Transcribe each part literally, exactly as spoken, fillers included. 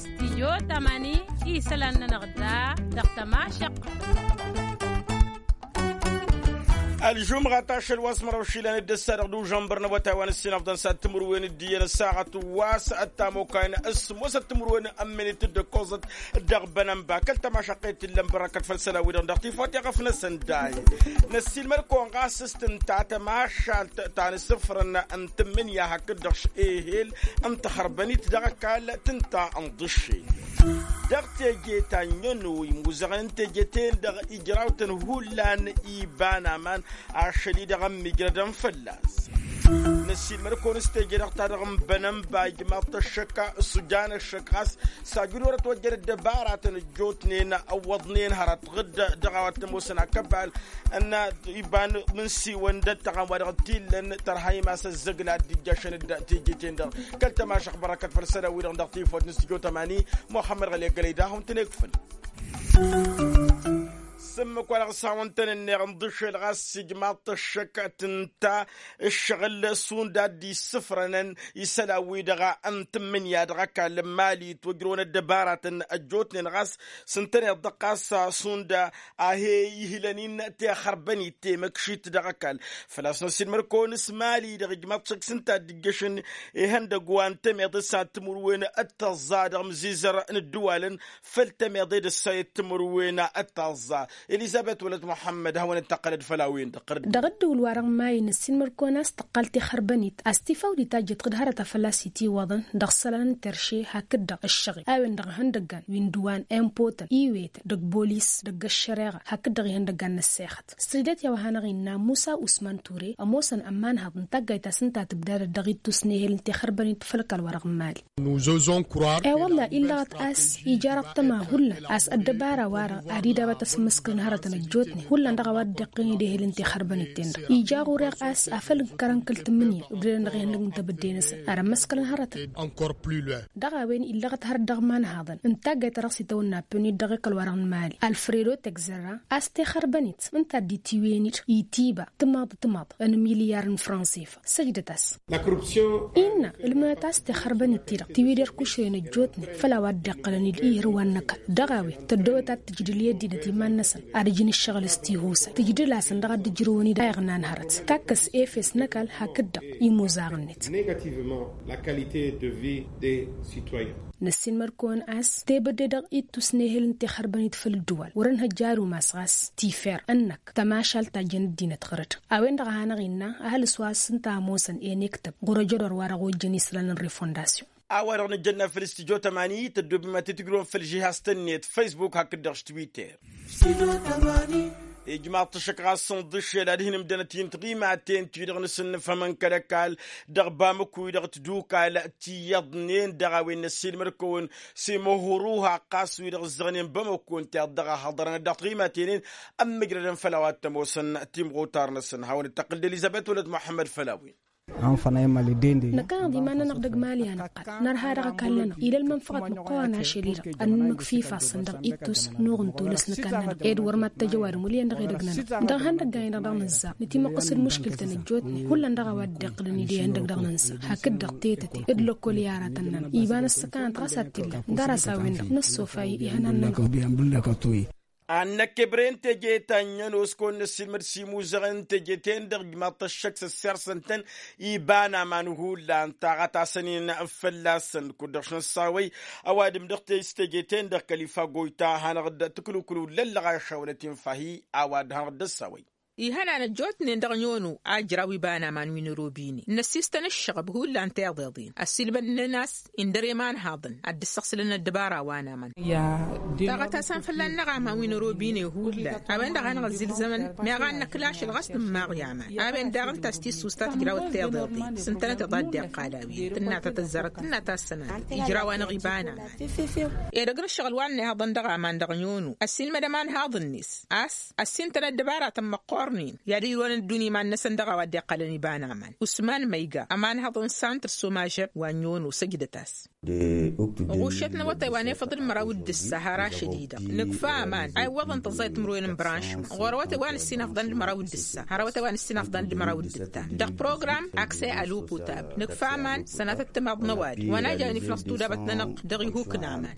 Stijyo tamani isălan-nănăɣ da dăɣ-tămašăq. Ălžumɣat ašăl wa s-măraw išilan d-ăssa dăɣ-dužănbăr n-awătay wa n-ǝssin ăfḍăn s-ad-timǝrwen d-iyyăn ăssaɣăt wa s-ăttamokayăn ăsmosăt timǝrwen n-ămminit d-ăkkoẓăt dăɣ-bănănba kăl-tămašăqqet t-illăn bărăkăt făll-sălawi-dăɣ dăɣ-tifawt i-ɣăf-năsăn day. Năssiilmăd-kăwăn ɣas s-tǝnta tămašalt ta n-asǝfrăn n-tǝmmǝnǝya hakd-dăɣ ehel n-taxărbănit dăɣ-ăkall tǝnta n-iḍǝššen dăɣ-teje ta n-ănnu imuzăɣăn n-teje-ten-dăɣ ijraw-tăn hullan iba n-aman ašăl-i-dăɣ ămmijrădăn fălla-s. Năssiilmăd-kăwăn s-teje-dăɣ ta dăɣ-n bănănba ijmaḍ-t ăššăk s-ujan ăššăk ɣas s-ajud wăr-ătwăjjăn ăddăbaratăn ăjjootnen ăwwăḍnen hărăt ɣǝdd dăɣ-a-wa t-ămoosăn akăbal n-iba n-insiwăn d-ăttăɣan wa dăɣ-t-illăn tărha imas ăzzăgla d-ijjašăn d-teje-ten-dăɣ. Kăl-tămašăɣt bărăkăt făll-isălan-wi-dăɣ dăɣ-tifawt n-stujo tămani muxămmăd ɣăli ăggălăy d-ad-hawăn-tăn-ikfǝl. S-ǝmmǝk wa dăɣ-s hawăn-tăn-ǝnneɣ n-iḍǝšel ɣas s-ijmaḍ-t ăššăk tǝnta ǝššăɣǝl šund a dd-issǝfrănăn isălan-wi-dăɣ n-tǝmmǝnǝya dăɣ-ăkall n-mali ǝtwăjrăwăn ăddăbaratăn ăjjootnen ɣas s-ǝntăneḍ-dăɣ ɣas šund a he-ihǝlăn-in tixărbănit temăkšit dăɣ-ăkall. Făl-a-s năssiilmăd-kăwăn s-mali-dăɣ ijmaḍ-t šăkk s-ǝnta a dd-ǝjjăšăn ihăndăgg wa n-temeḍe s-ad-timǝrwen d-tăẓẓa dăɣ-imǝzizăr n-ǝddǝwalăn făll-temeḍe d-ǝssa i-timǝrwen d-tăẓẓa. Elizăbet wălăt muḥămmăd hawăn-dd-tăqqălăd făll-a-wen-dăɣ. Dăɣ-ǝddǝwǝl-wa-dăɣ n-mayi năssiilmăd-kăwăn a-s tăqqal tixărbănit a-s tifawt di tajjăt ɣǝd hărăt a făl-a-s itiwăḍăn dăɣ-isălan n-terše hakd-dăɣ ǝššăɣel a-wen-dăɣ ihăndăggan wi n-dăwan, impotăn iwetăn dăgg-bolis dăgg-ăššăreɣa hakd-dăɣ ihăndăggan n-ăssexăt. S-tǝjdăt i-a-wa hanăɣ-innă musa usman ture ămoosăn ămanhăḍ n-taggayt ta s-ǝnta tǝbdadăt dăɣ-ittus n-ehel n-tixărbănit făll-ăkall-wa-dăɣ n-mali. E-wălla illăɣăt a-s ija răṭṭăma hullan a-s ăddăbara-wa-dăɣ ad-idabăt asǝmmǝskǝl n-hărătăn ăjjootnen hullan dăɣ-a-wa dd-iqqăn idehel n-tixărbănit-ten-dăɣ ija ɣur-e a-s afăl ǝnkărăn kăl-tǝmmǝnǝya ǝbdădăn dăɣ-ihăndăgg n-tebădde-năsăn ad-ămmăskălăn hărătăn. Dăɣ-a-wen illăɣăt hărăt dăɣ-imanhaḍăn n-taggayt ta dăɣ-s itawănna pănit dăɣ-ekăl-wa-dăɣ n-mali alfredo tegzărra a-s tixărbănit ǝnta a dd-itiwen-dd itiba timaḍ timaḍ n-milyar n-fransifa. Săjdăt-as innă ǝlmǝnăt a-s tixărbănit-ti-dăɣ tiwǝder kušren ăjjootnen făll-a-wa dd-iqqălăn-dd ihǝrwan n-ăkall dăɣ-a-wen tăddobăt ad-tǝjdǝl i-ăddinăt iman-năsăn ad-ǝjǝn ǝššăɣǝl s-tihusăn tǝjdǝl-asăn dăɣ-ad-dd-ǝjrǝwăn-dd a iɣnan hărăt takkăs efes n-ăkall hakd-dăɣ imuzaɣ-net. Năssiinmăr-kăwăn a-s tebădde dăɣ-ittus n-ehel n-tixărbănit făll-ǝddǝwal wăr-ănhăjja ad-umas ɣas tifer ǝnnăk tămašalt ta jăn ăddinăt ɣăr-dd. A-wen-dăɣ a hanăɣ-innă ăhalǝs wa s-ǝnta a ămoosăn enektăb ɣur-ăjădor wa dăɣ-ojjăn isălan n-refondasyon. A-wa-dăɣ nǝjjănna făll-stujo tămani tăddobem ad-t-tǝjrǝwăn făll-žihaz-tăn-net facebook hakd-dăɣ s-twitter. Ijmaḍ-t ăššăk ɣas n-iḍǝššel ad-hin-ǝmdănăt-in tiɣimaten-ti-dăɣ nǝsǝnnǝfhămăn kăl-ăkall dăɣ-bamăkku-wi-dăɣ tǝdukal ti iyyăḍnen dăɣ-a-wen năssiilmăd-kăwăn s-imǝhhǝruha ɣas wi-dăɣ ǝzzăɣnen bamăkku ǝnta i-dd-dăɣ a hăḍărănăt dăɣ-tiɣimaten-in ămmǝjrădăn făll-a-wa t-ămoosăn timɣutar-năsăn hawăn-dd-tăqqǝl d-elizăbet wălăt muḥămmăd făll-a-wen. Năkkăneḍ iman-nănăɣ dăgg-mali a năqqăl nărha dăɣ-ăkall-nănăɣ ila ălmănfăɣăt măqqoorăn ašăl-i-dăɣ ănmǝkf ifassăn dăɣ-ittus n-uɣǝntul s-nǝkall-nănăɣ ed wăr mad-tăjăwadǝm wăl' iyyăn dăɣ-edăgg-nănăɣ dăɣ-ihăndăggan-i-dăɣ dăɣ-nǝzzar nǝtimăqqǝs d-muškǝl-tăn ăjjootnen hullan dăɣ-a-wa dd-iqqǝlăn-dd ihăndăgg dăɣ-nǝnsa hakd-dăɣ tetăte d-lăkkol i-aratăn-nănăɣ iba n-ăssăkanăt ɣas ad-t-illa n-dăr-as a-wen-dăɣ năssofa-i ihănan-nănăɣ. Ad-năkk ebre n-teje ta n-iyyăn oskăwăn n-ăssiilmăd s-imuzăɣăn n-teje-ten-dăɣ ǝjmaḍ-t ăššăk s-ăssirsăn-tăn iba n-aman hullan taɣăt-asăn-in fălla-săn kud-dăɣ š-năssawăy. Ăwadǝm dăɣ-s teje-ten-dăɣ kăl-ifa goyta hanăɣ-dd-tǝklǝwkǝlǝw lăllăɣ ašawălăt infa-hi a-wa dd-hanăɣ-dd-ăssawăy. Ihănan ăjjootnen dăɣ-nyono a ǝjraw iba n-aman wi n-robine n-ăssistăn ǝššăɣăb hullan tiḍeḍen ăssiilmădnen a-s indăr i-imanhaḍăn ad-dd-ǝssăɣsǝlăn ăddăbara wa n-aman. Taɣăt-asăn fălla-năɣ aman wi n-robine hullan a-wen-dăɣ hanăɣ-ăzzilzămăn meɣ ad-năkla ašăl ɣas nǝmmaɣ i-aman a-wen daɣ ǝnta a-s tissusta tǝjrawăt tiḍeḍen s-ǝntănăteḍ a dd-iqqal a-wen tǝnna ta tăzzarăt tǝnna ta ăssănatăt ijraw-anăɣ iba n-aman. Edăgg n-ǝššăɣǝl wa n-ihăḍăn dăɣ-aman dăɣ-nyono ăssiilmăd ămanhaḍ-net a-s ăssintăn ăddăbaratăn măqqoorăn. Ărnin i-ad-ǝjrăwăn ăddunya iman-năsăn dăɣ-a-wa dd-iqqălăn iba n-aman usman măyga ămanhăḍ n-santr s-omažăb wa n-yono săjdăt-as. Ɣuššăt n-awătay wa n-efăḍ d-măraw d-ǝssa har ašăl-i-dăɣ nǝkfa aman a iwwăḍăn tăẓẓayăt timǝrwen n-branšma ɣur-awătay wa n-ǝssin afḍăn d-măraw d-ǝssa har awătay wa n-ǝssin afḍăn d-măraw d-ǝttan dăɣ-program aksay aluputab. Nǝkfa aman sănatăt timaḍ n-ăwadǝm wa n-ajayăn iflăẓ tudabăt-nănăɣ dăɣ-ihuk n-aman.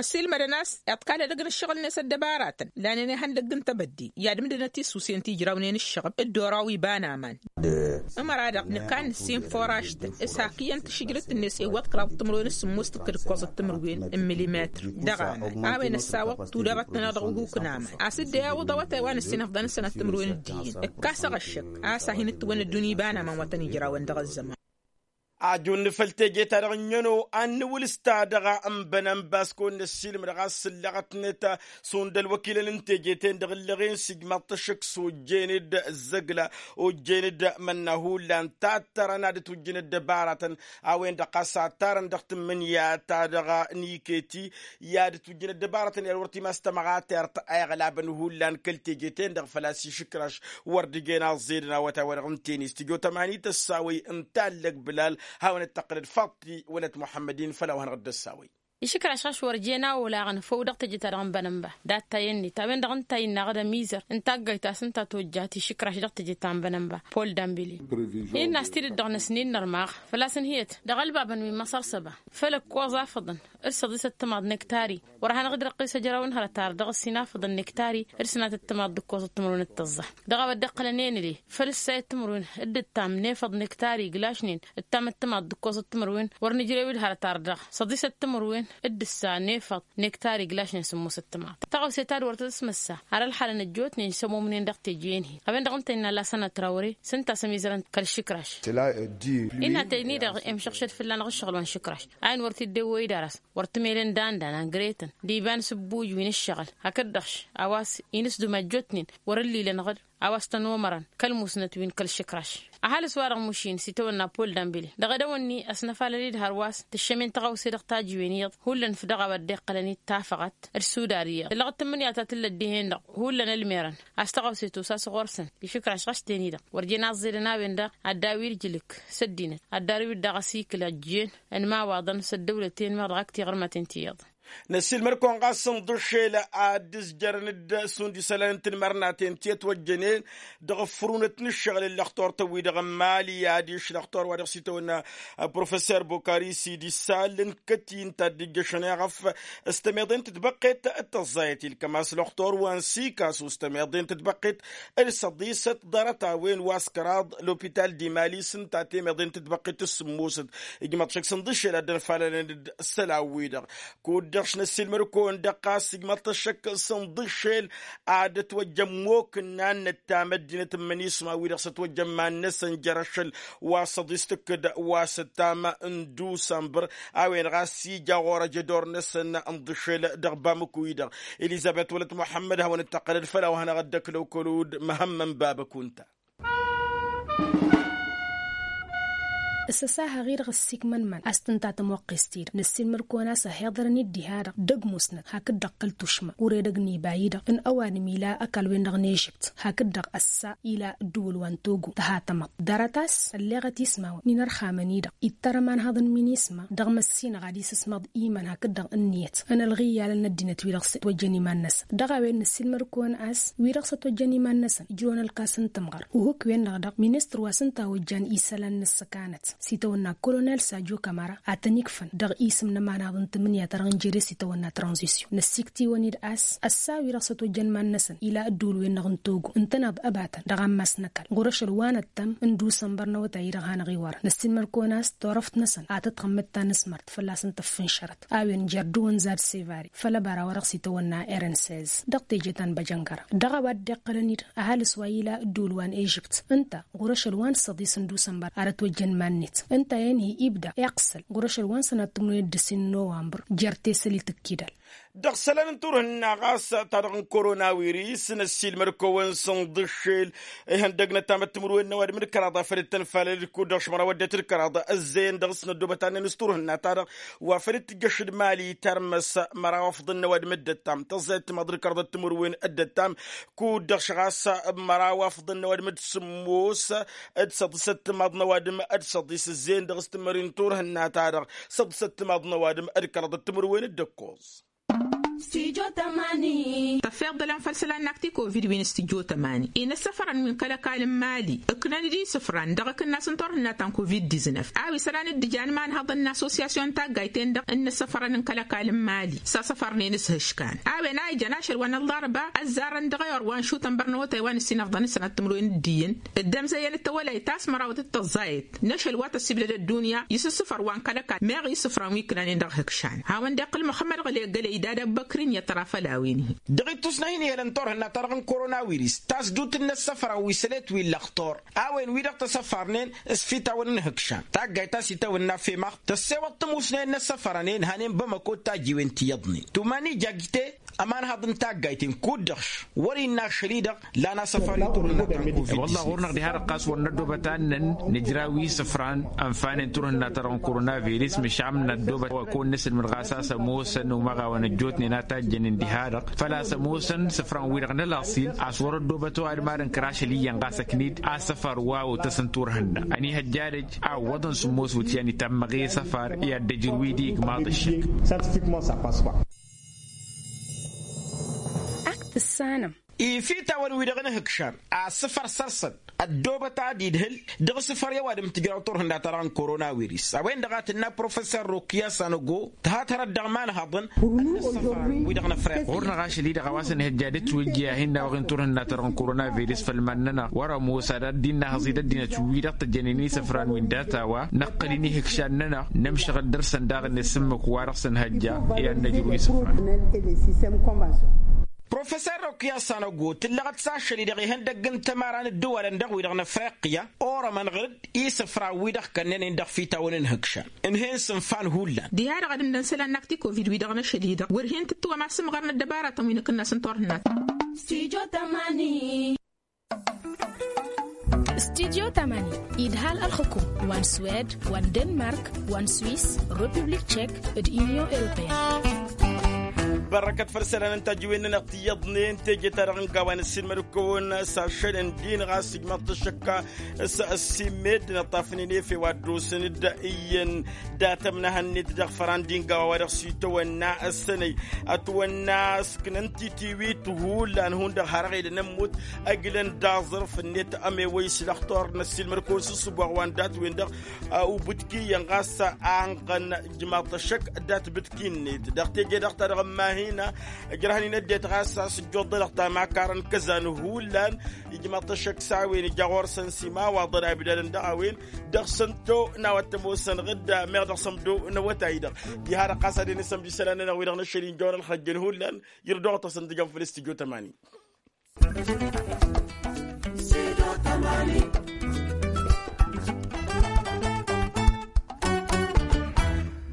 Ăsiilmădăn a-s iḍkal edăgg n-ǝššăɣǝl-net ăddăbaratăn lanen ihăndăgg n-tebădde i-ad-ǝmdǝnăt isusen ti ǝjrawnen ǝššăɣǝb dd-oraw iba n-aman. Ǝmăra-dăɣ nǝkan ǝssin furaštăn s-hak iyyăn tašǝjlǝt-net iwwăḍ kăraḍăt timǝrwen s-sǝmmos tǝkkǝd ǝkkoẓăt timǝrwen n-milimetr dăɣ-aman a-wen ăssawăḍ tudabăt-nănăɣ dăɣ-uhuk n-aman a-s dd-e-awǝḍ awătay wa n-ǝssin afḍăn n-sănat timǝrwen d-iyyăn ǝkkas aɣăššăk a-s a hin-ǝttǝwăn ăddunya iba n-aman wa tăn-ijrawăn dăɣ-ăzzăman. Ajun făll-teje-ta-dăɣ ǝnniyăn-o ad-nǝwǝl s-ta-dăɣ n-bănănba s-kăwăn-năssiilmăd ɣas s-ǝllăɣătnet šund ălwăkilăn n-teje-ten-dăɣ ǝllăɣen s-ijmaḍ-t ăššăk s-ojjen-dd ăzzăgla ojjen-dd mănna hullan tattărăn ad-ǝtwǝjjǝn ăddăbaratăn a-wen-dăɣ ɣas a ǝttarăn dăɣ-tǝmmǝnǝya-ta-dăɣ n-iketi i-ad-ǝtwǝjjǝn ăddăbaratăn i-ad-wăr t-imas tămɣatert a iɣlabăn hullan kăl-teje-ten-dăɣ făl-a-s išǝkraš wăr dd-ǝjen aẓẓedăn awătay-wa-dăɣ n-tenis tǝjo tămani tăssawăy n-tallăg bǝlal hawăn-dd-tăqqǝlăd faḍti wălăt muḥămmăd-in făll-a-wa hanăɣ-dd-ăssawăy. Išǝkraš ɣas wăr jen a olaɣăn făw dăɣ-teje-ta-dăɣ n-bănănba dat-ta-en-net a-wen-dăɣ ǝnta a innă aɣdăm izăr ǝnta a ăggayt a-s ǝnta a tojjat išǝkraš dăɣ-teje ta n-bănănba pol dambili. Innă a-s tidǝt dăɣ-năsnin n-ărmaɣ făl-a-s ǝnhǝyăt dăɣ-ălbabăn wi n-măṣăr săba făll-ǝkkoẓ afăḍăn d-săḍisăt timaḍ n-ektari wăr hanăɣ-dd-răqqis ăjraw n-hărăt ar dăɣ-ăssin afăḍăn n-ektari d-sănatăt timaḍ d-ǝkkoẓăt timǝrwen d-tăẓẓa. Dăɣ-a-wa dd-iqqălăn enăle făll-ǝssayăt timǝrwen d-ǝttam n-efăḍ n-ektari iglašnen d-ǝttam d-timaḍ d-ǝkkoẓăt timǝrwen wăr nǝjrew-dd hărăt ar dăɣ-săḍisăt timǝrwen d-ǝssa n-efăḍ n-ektari iglašnen sǝmmosăt timaḍ. Tăɣawse ta d-wăr tăt-ăsmăssa ar ălxalăn ăjjootnen s-ămumnen dăɣ-teje-en-hi a-wen-dăɣ ǝnta innă lasăn ătrawre s-ǝnta a-s ămizărăn kăl-išǝkraš. Innă teni-dăɣ i-imšăɣšăd fălla-năɣ ǝššăɣǝl wa n-išǝkraš a-wen wăr t-dd-ewwăy d-arăs wăr tǝmelen danda n-angretăn d-iba n-sǝbbuj wi n-ǝššăɣǝl hakd-dăɣ-š a-wa s-inǝsdum ăjjootnen wăr-ǝllilăn ɣǝd a-wa s-tăn-omărăn kăl-musnăt wi n-kăl-išǝkraš. Ăhalǝs-wa-dăɣ mušin s-itawănna pol dambili dăɣ-edăwănni ăsnăfalăl-dd hărwa s-tǝššămen tăɣawse dăɣ-tajǝwen iyyăḍ hullan făw dăɣ-a-wa dd-iqqălăn-dd tafăɣăt d-sudar iyyăḍ tǝllăɣ d-tǝmmǝnǝya ta tǝllăt dihen-dăɣ hullan ălmerăn a-s tăɣawse tosa s-ɣur-săn išǝkraš ɣas ten-i-dăɣ wăr jen aẓẓedăn a-wen-dăɣ ad-daw-dd ǝjlǝk s-ăddinăt ad-darǝw-dd daɣ ăsikǝl ăjjeen ănmawaḍăn s-ăddăwlăt-en-dăɣ d-tiɣrǝmăten ti iyyăḍ. Năssiilmăd-kăwăn ɣas ǝnḍǝššel ad-dd-ǝzjărăn-dd šund isălan n-tinmărnaten ti ătwăjjănen dăɣ-ăffrunăt n-ǝššăɣǝl n-lăxtur-tăn-wi-dăɣ n-imali adiš lăxtur wa dăɣ-s itawănna professor bokari sidi sal n-kăt-i ǝnta a dd-ǝjjăšăn iɣăf s-tămeḍe n-tǝtbăqqet d-tăẓẓayăt ilkăm a-s lăxtur wa n-sikasu s-tămeḍe n-tǝtbăqqet d-săḍisăt ḍarăt-a-wen wa s-kăraḍ lopital d-imali s-ǝnta temeḍe n-tǝtbăqqet d-sǝmmosăt. Ijmăḍ šăkk s-ǝnḍǝššel ad-dd-ănfalălăn-dd isălan-wi-dăɣ kud-dăɣ š-năssiilmăd-kăwăn dăɣ-ɣas ijmăḍ-t ăššăk s-ǝnḍǝššel ad-ătwăjjăn mokǝnna n-năttam ăddinăt n-imǝnisma-wi-dăɣ s-ătwăjjăn iman-năsăn jer-ašăl wa s-ăḍis tǝkkǝd wa s-ăttam n-dusămbăr a-wen ɣas ija ɣur-ăj ădor-năsăn ǝnḍǝššel dăɣ-bamǝku-i-dăɣ. Elizăbet wălăt muḥămmăd hawăn-dd-tăqqălăd făll-a-wa hanăɣ-dd-ăkk lăwkălud măhămmăn babăk unta. S-ăsahăɣ-i-dăɣ ăssiikmăn iman a-s tǝnta tămoqqest-i-dăɣ năssiilmăd-kăwăn a-s ăhiḍărăn-dd diha-dăɣ dăgg-musnăt hakd-dăɣ kăl-tušma ur edăgg n-iba-i-dăɣ n-ăwadǝm ila ăkall-wen-dăɣ n-ežibt hakd-dăɣ ăssa ila ǝddǝwǝl wa n-togo tăhatămăḍt dăr-ătas ălleɣăt ismawăn n-inărxamăn-i-dăɣ ittăr ămanhăḍ n-minisma dăɣ-măssinăɣ ad-isǝsmaḍ iman hakd-dăɣ ǝnniyăt n-ălɣiyyalăn n-ăddinăt wi-dăɣ s-ătwăjjăn iman-năsăn. Dăɣ-a-wen năssiilmăd-kăwăn a-s wi-dăɣ s-ătwăjjăn iman-năsăn ǝjrăwăn ălkas n-tămɣăr uhǝk-wen-dăɣ dăɣ-ministăr wa s-ǝnta a ojjan isălan n-ǝssăkanăt s-itawănna kolonel sajo kămăra ad-tăn-ikfăn dăɣ-isǝm n-ămanhăḍ n-tǝmmǝnǝya-ta-dăɣ n-jere s-itawănna tranzisyon năssikt'-iwăn-dd a-s ăssa wi-dăɣ s-ătwăjjăn iman-năsăn ila ădduul-wen-dăɣ n-togo ǝntăneḍ ăbatăn dăɣ-ammas n-ăkall ɣur-ašăl wa n-ăttăm n-dusănbăr n-awătay-i-dăɣ hanăɣ-iwărăn năssiilmăd-kăwăn a-s turăft-năsăn ad-tăt-tăxmǝd ta n-asmărt fălla-s n-tăffǝnšărăt a-wen jer-dăɣ-wăn zad sevari făll-ăbara wa dăɣ-s itawănna rnss dăɣ-teje ta n-băjăngăra. Dăɣ-a-wa dd-iqqălăn-dd ăhalǝs wa ila ǝddǝwǝl wa n-ežipt ǝnta ɣur-ašăl wa n-săḍis n-dusănbăr ar ătwăjjăn iman-net ǝnta-en-hi ibda iqqăl ɣur-ašăl wa n-sănat timǝrwen d-ǝssin n-nowănbăr jer-tesălit ǝkkidăl. Dăɣ-isălan n-turhǝnna ɣas ta-dăɣ n-korona wiris n-ăssiilmăd-kăwăn-săn d-ǝššel ihăndăg n-ăttamăt timǝrwen n-ăwadǝm d-kăraḍ a făl dd-tănfalăd kud-dăɣ šmăraw ăddinăt d-kăraḍ ăzzeyăn dăɣ-s n-ăddoobăt a ǝnnan s-turhǝnna ta-dăɣ wa făl dd-tǝjjăš d-mali tarmăs măraw afḍăn n-ăwadǝm d-ăttam tăẓẓayăt timaḍ d-kăraḍ timǝrwen d-ăttam kud-dăɣ šăɣas măraw afḍăn n-ăwadǝm d-sǝmmos d-săḍisăt timaḍ n-ăwadǝm d-săḍis ǝzzeyăn dăɣ-s tǝmmări n-turhǝnna ta-dăɣ săḍisăt timaḍ n-ăwadǝm d-kăraḍ d-timǝrwen d-ăkkoẓ. Tăfeḍ d-ălan făll-isălan n-akti covid wi n-s tijjo tămani inăssăfărăn wi n-kăl-ăkall n-mali ǝknăn-dd isǝfran dăɣ-akǝnnas n-turhǝnna ta n-covid diznăf a-wa isălan dd-ijan imanhăḍăn n-assosyasyon n-taggayt-en-dăɣ n-inăssăfărăn n-kăl-ăkall n-mali s-asăfărnen s-ihǝškan a-wen a ijăn ašăl wa n-ălḍarba ăzzarăn dăɣ-ewăr wa n-išutăn bărnăwătay wa n-ǝssin ăḍḍăn d-sănat timǝrwen d-iyyăn dd-ămzăyyăn d-tawălayt ta s-mărawăt d-tăẓẓayăt n-ašăl wa tăssibdăd ăddunya isǝssǝfăr wa n-kăl-ăkall meɣ isǝfran wi ǝknanen dăɣ-ihǝkšan hawăn-dd-iqqǝl muxămmăd ɣǝlegălăy d-ad-ăbbăkrin i-ăṭṭăra făll-a-wen-hi. Dăɣ-ittus n-ahin ihălăn turhǝnna ta-dăɣ n-korona wiris tas-dut n-inăssăfărăn wi sălet wi ǝllăɣ tor a-wen wi-dăɣ tăsăfarnen s-fitawăn n-ihǝkšan taggayt ta s-itawănna femaɣt tăssewăḍ tămusnen n-inăssăfărănen hanen bamăko d-tajjiwen ti iyyăḍnen tuman ija agite ămanhăḍ n-taggayt-en kud-dăɣ wăr-innă ašăl-i-dăɣ lan asăfar i-turhǝnna ta n-covid. Wălla ɣur-năɣ diha-dăɣ ɣas wăr năddoobăt ad-innăn nǝjraw isǝfran ănfanen turhǝnna-ta-dăɣ n-korona viris măšan năddoobăt wa kăwăn-nǝsǝlmǝd ɣas a-s ămoosăn umăɣawăn ăjjootnen a tajjănen diha-dăɣ făl-a-s ămoosăn isǝfran-wi-dăɣ n-ălaṣil a-s wăr-ăddoobăt ăwadǝm ad-ǝnkăr ašăl iyyăn ɣas ăknid asăfar wa otăs n-turhǝnna ănihăjja ad-ăj a ǝwwăḍăn s-ămoos wǝtyan itammăɣ i-asăfar i-ad-dd-ăjrǝw-dd igmaḍ ǝššǝk. Ak tǝssanăm. Ifitawăn-wi-dăɣ n-ihǝkšan asǝfăr săr-săn ăddoobăt ad-idhǝl dăɣ-asǝfăr i-ăwadǝm tǝjraw turhǝnna-ta-dăɣ n-korona wiris a-wen-dăɣ a tǝnna professor rokiya sanogo tǝhat hărăt dăɣ-imanhăḍăn n-asǝfăr-wi-dăɣ n-afriqya. Ɣur-năɣ ašăl-i-dăɣ a-wa s-ănhăjja ad-ǝtwǝjja a hin-nawăɣ-in turhǝnna-ta-dăɣ n-korona viris făll-iman-nănăɣ wăr-ămoos ad-dd-innă hăẓ-dd ăddinăt wi-dăɣ tăjjănen isǝfran wi n-data-wa năqqăl-in ihǝkšan-nănăɣ nămšăɣ-dd dăr-săn daɣ-net s-ǝmmǝk wa-dăɣ s-ănhăjja i-ad-năjrǝw isǝfran. Professor rokiya sanogo tǝllăɣăt s-ašăl-i-dăɣ ihăndăgg n-tămara n-ǝddǝwalăn dăɣ-wi-dăɣ n-afriqya orămăn ɣǝr-dd isǝfran-wi-dăɣ kănnănen dăɣ-fitawăn n-ihǝkšan ǝnhăyăn s-ǝnfa n-ihullan. Diha-dăɣ ad-ǝmdăn isălan n-akti covid-wi-dăɣ n-ašăl-i-dăɣ wăr hin-tǝttǝwăm asǝmɣăr n-ăddăbara-tăn wi n-akǝnnas n-turhǝnna. Studyo tămani idhal ălxǝkum wa n-swed wa n-denmark wa n-swis, republik tšek d-inyon europeyăn. Bărrăkăt făll-isălan n-tajǝwen-nănăɣ ti iyyăḍnen teje-ta-dăɣ n-gawa n-ăssiilmăd-kăwăn s-ašăl n-din ɣas ijmaḍ-t ăššăkka s-ăssimed n-ăṭṭafnen efew ad-dd-osăn-dd iyyăn dat-ămnăhănnet dăɣ-făran d-ingawa wa dăɣ-s itawănna ăssănăy ătwănna ǝsknăn titiwit hullan hundăɣ har ăɣedăn ămmut ăglăn d-aẓrǝf-net ămewăy s-lăxtur n-ăssiilmăd-kăwăn s-ǝssǝboɣ wa n-dat-wen-dăɣ ubǝtki iyyăn ɣas anɣăn ijmaḍ-t ăššăk dat-bǝtki-net dăɣ-teje-dăɣ ta dăɣ-ămmahina. Ǝjrăhăn-in ăddinăt ɣas a-s ǝjjuḍălăɣ tamakarăn kăzan hullan ijmaḍ-t ăššăk s-a-wen ija ɣur-săn s-imawaḍăn a ibdadăn dăɣ-a-wen dăɣ-săn to n-a-wa t-ămoosăn ɣǝdda meɣ dăɣ-săn ăbdăw n-awătay-dăɣ. Diha-dăɣ ɣas ad-en isămj isălan-nănăɣ wi-dăɣ n-ašăl-i n-jăwăn ălxăjjăn hullan. Irdoɣ-t a-s ǝntǝjăm făll-s tǝjjo tămani.